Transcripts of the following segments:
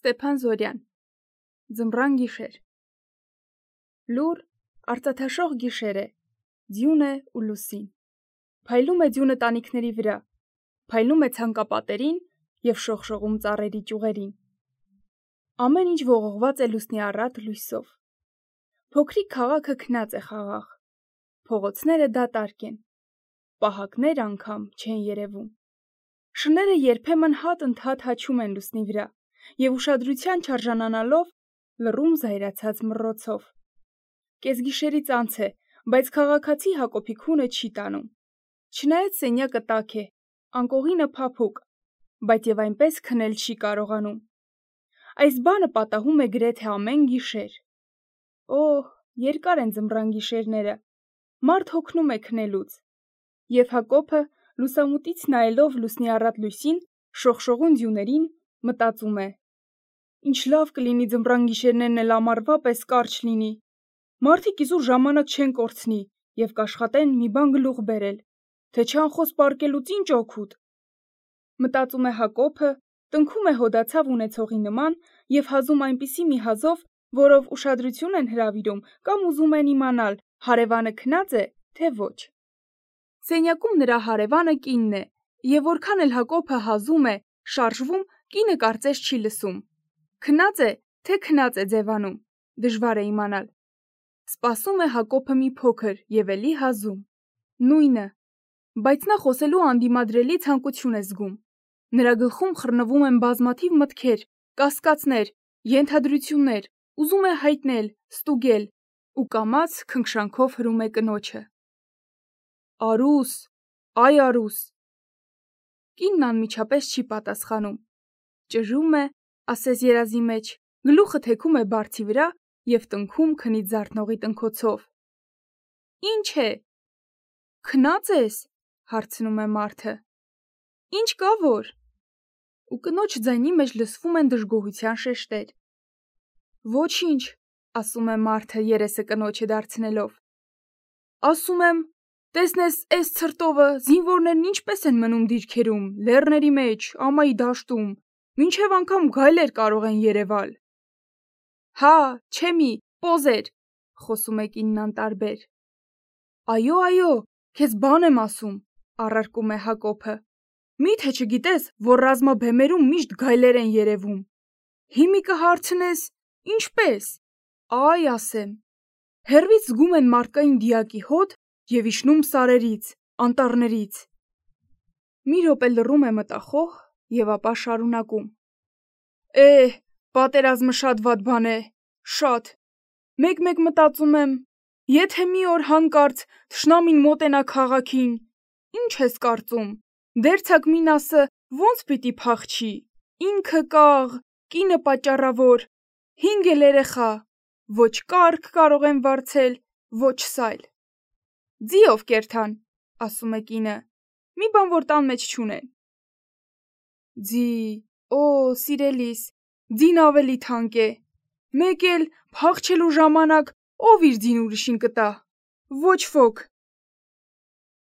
Ստեփան Զորյան Ձմռան գիշեր Լուր արծաթաշող գիշեր է, ձյուն է ու լուսին։ Փայլում է ձյունը տանիքների վրա, փայլում է ցանկապատերին և շողշողում ծառերի ճյուղերին։ Ամեն ինչ ողողված է լուսնի առատ լույսով։ Փոքրիկ քաղաքը քնած է խաղաղ, փողոցները դատարկ են, պահակներ անգամ չեն երևում։ Շները երբեմն հատ-ընդհատ հաչում են լուսնի վրա և ուշադրության չարժանանալով լռում զայրացած մռոցով։ Կեսգիշերից անց է, բայց քաղաքացի Հակոբի քունը չի տանում։ Չնայած սենյակը տաք է, անկողինը փափուկ, բայց և այնպես քնել չի կարողանում։ Այս բանը պատահում է գրեթե ամեն գիշեր։ Օհ, երկար են ձմռան գիշերները, մարդ հոգնում է քնելուց։ Եվ Հակոբը, լուսամուտից նայելով լուսնի առատ լույսին, շողշողուն ձյուներին, մտածում է. ինչ լավ կլինի ձմռան գիշերներն էլ ամառվա պես կարճ լինի։ Մարդիկ իզուր ժամանակ չեն կորցնի և կաշխատեն մի բան գլուխ բերել, թե չանխոս պառկելուց ինչ օգուտ։ Մտածում է Հակոբը, տնքում է հոդացավ ունեցողի նման և հազում այնպիսի մի հազով, որով ուշադրություն են հրավիրում կամ ուզում են իմանալ, հարևանը քնած է, թե ոչ։ Սենյակում նրա հարևանը կինն է, և որքան էլ Հակոբը հազում է, շարժվում, կինը կարծես չի լսում։ Քնած է, թե քնած է ձևանում, դժվար է իմանալ։ Սպասում է Հակոբը մի փոքր և էլի հազում։ Նույնը, բայց նա խոսելու անդիմադրելի ցանկություն է զգում։ Նրա գլխում խռնվում են բազմաթիվ մտքեր, կասկածներ, ենթադրություններ, ուզում է հայտնել, ստուգել ու կամաց քնքշանքով հրում է կնոջը. Արուս, այ Արուս։ Կինն անմիջապես չի պատասխանում։ Ճժում է, ասես երազի մեջ, գլուխը թեքում է բարձի վրա և տնքում քնից զարթնողի տնքոցով։ Ինչ է։ Քնած ես, հարցնում է մարդը։ Ինչ կա որ։ Ու կնոջ ձայնի մեջ լսվում են դժգոհության շեշտեր։ Ոչինչ, ասում է մարդը երեսը կնոջը դարձնելով։ Ասում եմ, տեսնես էս ցրտովը, զինվորներն ինչպես են մնում դիրքերում, լեռների մեջ, ամայի դաշտում, մինչև անգամ գայլեր կարող են երևալ։ Հա, չեմի, պոզեր, խոսում է կինն անտարբեր։ Այո, քեզ բան եմ ասում, առարկում է Հակոբը։ Մի՞թե չգիտես, որ ռազմաբեմերում միշտ գայլեր են երևում։ Հիմի կհարցնես, ինչպե՞ս։ Այ ասեմ։ Հեռվից զգում են մարդկային դիակի հոտ և իջնում սարերից, անտառներից։ Մի րոպե լռում է մտախոհ և ապա շարունակում. պատերազմը շատ վատ բան է, շատ։ Մեկ-մեկ մտածում եմ, եթե մի օր հանկարծ թշնամին մոտենա քաղաքին, ինչ ես կարծում, դերձակ Մինասը ո՞նց պիտի փախչի, ինքը կաղ, կինը պատճառավոր, 5 էլ երեխա, ոչ կառք կարող են վարձել, ոչ սայլ։ Ձի ով կերթան, ասում է կինը, մի բան որ տան մեջ չունեն։ Ձի, սիրելիս, ձին ավելի թանկ է։ Մեկ էլ փախչելու ժամանակ ով իր ձին ուրիշին կտա։ Ոչ ոք։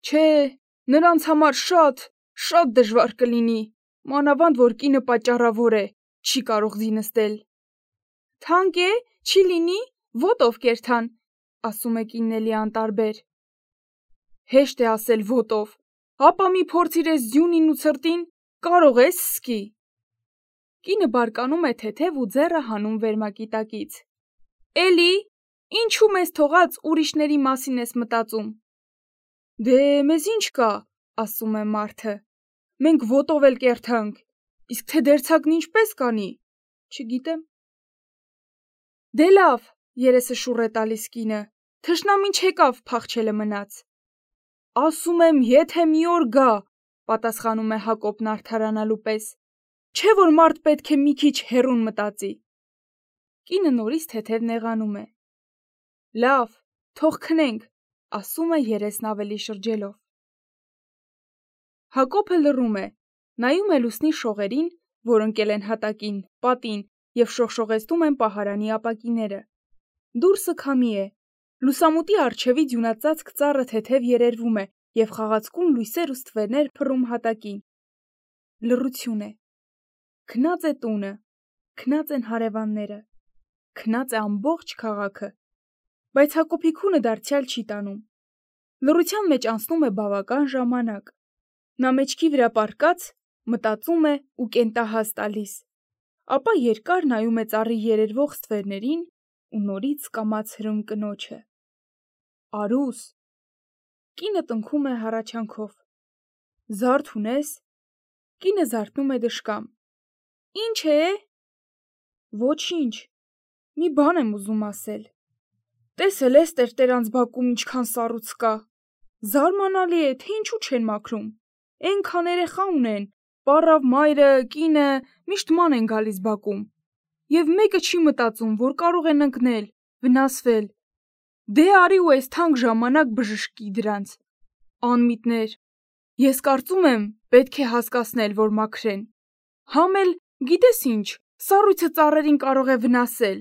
Չէ, նրանց համար շատ դժվար կլինի, մանավանդ որ կինը պատճառավոր է, չի կարող ձի նստել։ Թանկ է, չի լինի, ոտով կերթան, ասում է կինն էլի անտարբեր։ Հեշտ է ասել ոտով, ապա մի փորձիր էս ձյունին ու ցրտին, կարող ես սկի։ Կինը բարկանում է թեթև ու ձեռը հանում վերմակի տակից։ Էլի, ինչու մեզ թողած ուրիշների մասին ես մտածում։ Դե մեզ ինչ կա, ասում է մարդը։ Մենք ոտով էլ կերթանք, իսկ թե դերձակն ինչպես կանի, չգիտեմ։ Դե լավ, երեսը շուռ է տալիս կինը, թշնամին չեկավ փախչելը մնաց։ Ասում եմ, եթե մի օր գա, պատասխանում է Հակոբն արդարանալու պես, չէ որ մարդ պետք է մի քիչ հեռուն մտածի։ Կինը նորից թեթև նեղանում է։ Լավ, թող քնենք, ասում է երեսն ավելի շրջելով։ Հակոբը լռում է, նայում է լուսնի շողերին, որ ընկել են հատակին, պատին և շողշողեցնում են պահարանի ապակիները։ Դուրսը քամի է։ Լուսամուտի առջևի ձյունածածկ ծառը թեթև երերվում է և խաղացկուն լույսեր ու ստվերներ փռում հատակին։ Լռություն է։ Քնած է տունը, քնած են հարևանները, քնած է ամբողջ քաղաքը, բայց Հակոբի քունը դարձյալ չի տանում։ Լռության մեջ անցնում է բավական ժամանակ։ Նա մեջքի վրա պառկած մտածում է ու կենտահաս տալիս, ապա երկար նայում է ծառի երերվող ստվերներին ու նորից կամաց հրում կնոջը։ Արուս։ Կինը տնքում է հառաչանքով։ Զարդ ունես։ Կինը զարթնում է դժկամ։ Ինչ է։ Ոչինչ։ Մի բան եմ ուզում ասել։ Տեսել ես տերտերանց բակում ինչքան սառույց կա։ Զարմանալի է, թե ինչու չեն մաքրում։ Էնքան երեխա ունեն, պառավ մայրը, կինը միշտ ման են գալիս բակում։ Եվ մեկը չի մտածում, որ կարող են ընկնել, վնասվել։ Դե արի ու այս թանկ ժամանակ բժշկի դրանց։ Անմիտներ։ Ես կարծում եմ, պետք է հասկացնել, որ մաքրեն։ Համ էլ, գիտես ինչ, սառույցը ծառերին կարող է վնասել։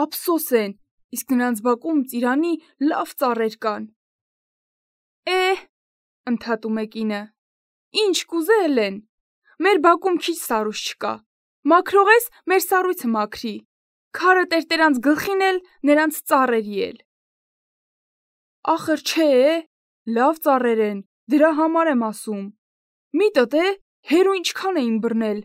Ափսոս են, իսկ նրանց բակում ծիրանի լավ ծառեր կան։ Ընդհատում է կինը։ Ինչ կուզել են։ Մեր բակում քիչ սառույց չկա։ Մաքրող ես, մեր սառույցը մաքրի։ Քարը տերտերանց գլխին էլ, նրանց ծառերի էլ։ Ախր չէ, լավ ծառեր են, դրա համար եմ ասում։ Մի տտե, հերու ինչքան էին բռնել։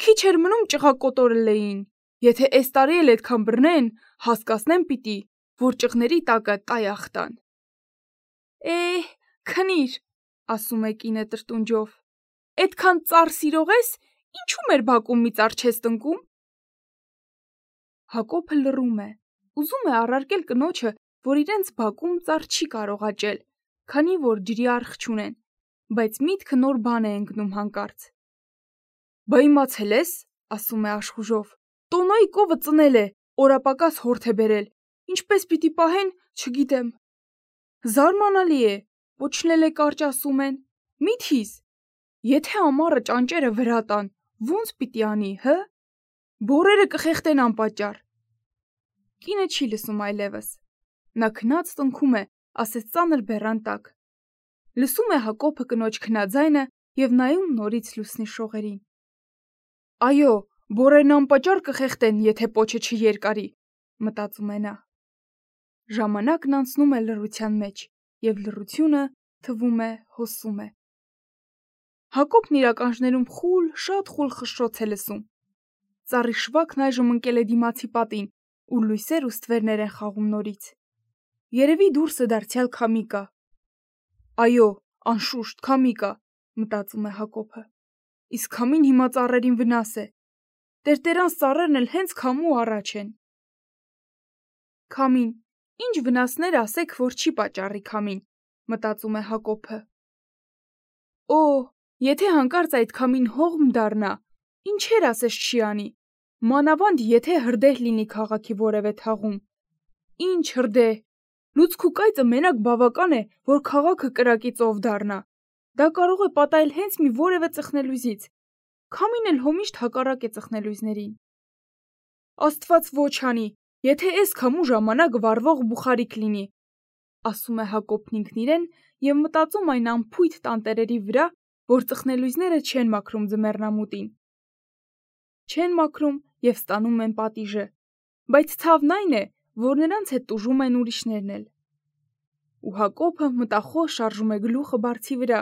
Քիչ էր մնում ճղակոտորել էին։ Եթե այս տարի էլ այդքան բռնեն, հասկացնեմ պիտի, որ ճղների տակը տայախ տան։ Քնիր, ասում է կինը տրտունջով։ Այդքան ծառ սիրող ես, ինչու մեր բակում մի ծառ չես տնկում։ Հակոբը լռում է, ուզում է առարկել կնոջը, որ իրենց բակում ծառ չի կարող աճել, քանի որ ջրի արխ չունեն, բայց միտքը նոր բան է ընկնում հանկարծ։ Բա իմացել ես, ասում է աշխուժով, տոնոյի կովը ծնել է, օրապակաս հորթ է բերել, ինչպես պիտի պահեն, չգիտեմ։ Զարմանալի է, պոչնել է կարճ ասում են, միթիս, եթե ամառը ճանճերը վրա տան, ոնց պիտի անի, հը։ Բորերը կխեղտեն անպատճառ։ Կինը չի լսում այլևս։ Նա քնած տնքում է, ասես ծանր բեռան տակ։ Լսում է Հակոբը կնոջ քնաձայնը եւ նայում նորից լուսնի շողերին։ Այո, բորերն անպատճառ կխեղտեն, եթե պոչը չերկարի, մտածում է նա։ Ժամանակն անցնում է լռության մեջ, եւ լռությունը թվում է հոսում է։ Հակոբն իր ականջներում շատ խուլ խշշոց է լսում։ Ծառի շվակն այժմ ընկել է դիմացի պատին, ու լույսեր ու ստվերներ են խաղում նորից։ Երևի դուրսը դարձյալ քամի կա։ Այո, անշուշտ քամի կա, մտածում է Հակոբը։ Իսկ քամին հիմա ծառերին վնաս է։ Տերտերանց ծառերն էլ հենց քամու առաջ են։ Քամին, ինչ վնասներ ասեք, որ չի պատճառի քամին, մտածում է Հակոբը։ Օ, եթե հանկարծ այդ քամին հողմ դառնա, ինչեր ասես չի անի։ Մանավանդ եթե հրդեհ լինի քաղաքի որևէ թաղում։ Ինչ հրդեհ։ Լուցկու կայծը մենակ բավական է, որ քաղաքը կրակի ծով դառնա։ Դա կարող է պատահել հենց մի որևէ ծխնելույզից։ Քամին էլ հոմիշտ հակառակ է ծխնելույզներին։ Աստված ոչ անի, եթե այս քամու ժամանակ վառվող բուխարիկ լինի, ասում է Հակոբն ինքն իրեն եւ մտածում այն անփույթ տանտերերի վրա, որ ծխնելույզները չեն մաքրում ձմեռնամուտին։ Չեն մաքրում եւ ստանում են պատիժը, բայց ցավն այն է, որ նրանց հետ տուժում են ուրիշներն էլ։ Ու Հակոբը մտախոս շարժում է գլուխը բարձի վրա,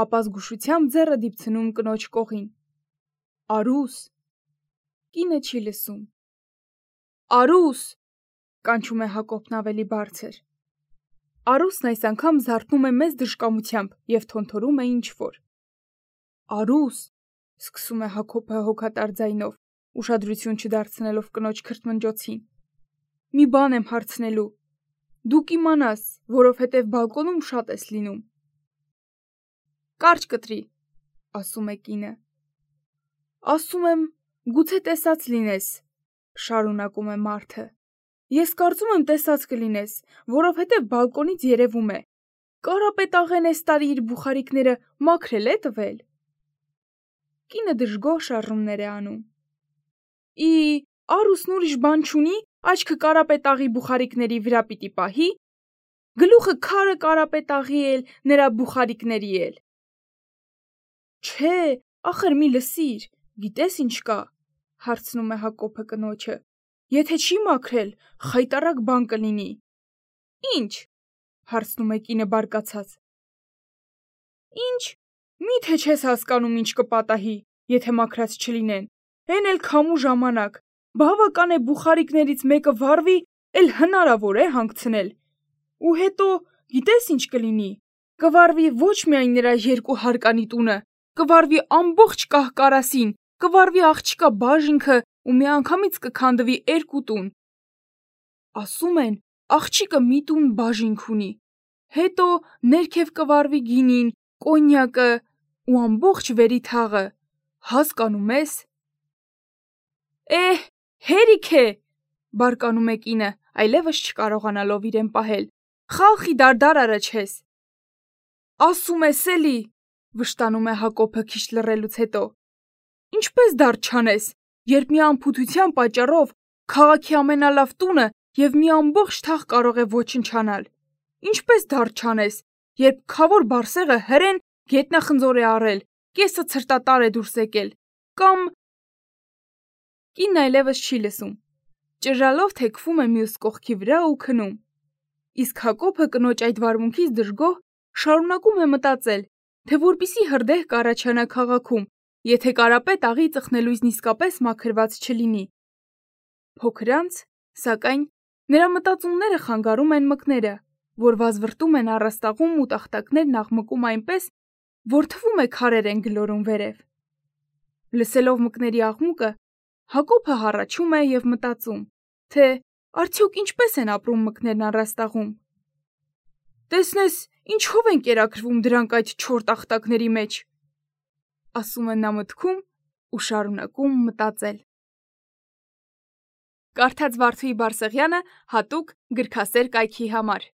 ապա զգուշությամբ ձեռը դիպցնում կնոջ կողին։ Արուս։ Կինը չի լսում։ Արուս, կանչում է Հակոբն ավելի բարձր։ Արուսն այս անգամ զարթնում է մեծ դժկամությամբ եւ թոնթորում է ինչ-որ։ Արուս, սկսում է Հակոբը հոգատար ձայնով, ուշադրություն չդարձնելով կնոջ քրթմնջոցին։ Մի բան եմ հարցնելու։ Դու կիմանաս, որովհետև բալկոնում շատ ես լինում։ Կարճ կտրի, ասում է կինը։ Ասում եմ, գուցե տեսած լինես, շարունակում է մարդը։ Ես կարծում եմ տեսած կլինես, որովհետև բալկոնից երևում է։ Կարապետաղեն այս տարի իր բուխարիկները մաքրել է տվել։ Կինը դժգոհ շարժումներ է անում։ Արուսն ուրիշ բան չունի, աչքը կարապետաղի բուխարիկների վրա պիտի պահի, գլուխը քարը կարապետաղի էլ, նրա բուխարիկների էլ։ Չէ, ախր մի լսիր, գիտես ինչ կա։ հարցնում է Հակոբը կնոջը։ Եթե չի մաքրել, խայտառակ բան կլինի։ Ինչ, հարցնում է կինը բարկացած։ Ինչ, միթե չես հասկանում ինչ կպատահի, եթե մաքրած չլինեն։ Էն էլ քամու ժամանակ, բավական է բուխարիկներից մեկը վառվի, էլ հնարավոր է հանգցնել։ Ու հետո, գիտես ինչ կլինի։ Կվառվի ոչ միայն նրա երկու հարկանի տունը, կվառվի ամբողջ կահկարասին, կվառվի աղջիկա բաժինքը ու միանգամից կքանդվի 2 տուն։ Ասում են, աղջիկը մի տուն բաժինք ունի։ Հետո ներքև կվառվի գինին, կոնյակը ու ամբողջ վերի թաղը։ Հասկանում ես։ Հերիք է, բարկանում է կինը, այլևս չկարողանալով իրեն պահել։ Խալխի դարդար արաչես։ Ասում ես էլի, վշտանում է Հակոբը քիչ լռելուց հետո։ Ինչպես դարդ չանես, երբ մի անփութության պատճառով քաղաքի ամենալավ տունը եւ մի ամբողջ թաղ կարող է ոչնչանալ։ Ինչպես դարդ չանես, երբ քավոր բարսեղը հրեն գետնախնձոր է առել, կեսը ցրտատար է դուրս եկել, կամ… Կինն այլևս չի լսում, ճռռալով թեքվում է մյուս կողքի վրա ու քնում։ Իսկ Հակոբը կնոջ այդ վարմունքից դժգոհ շարունակում է մտածել, թե որպիսի հրդեհ կառաջանա քաղաքում, եթե Կարապետ աղի ծխնելույզն իսկապես մաքրված չլինի։ Փոքր անց, սակայն, նրա մտածումները խանգարում են մկները, որ վազվռտում են առաստաղում ու տախտակներն աղմկում այնպես, որ թվում է քարեր են գլորում վերև։ Լսելով մկների աղմուկը, Հակոբը հառաչում է եւ մտածում, թե արդյոք ինչպես են ապրում մկներն առաստաղում։ Տեսնես, ինչով են կերակրվում դրանք այդ չոր տախտակների մեջ, ասում է նա մտքում ու շարունակում մտածել։ Կարդաց Վարդուհի Բարսեղյանը հատուկ գրքասեր կայքի համար։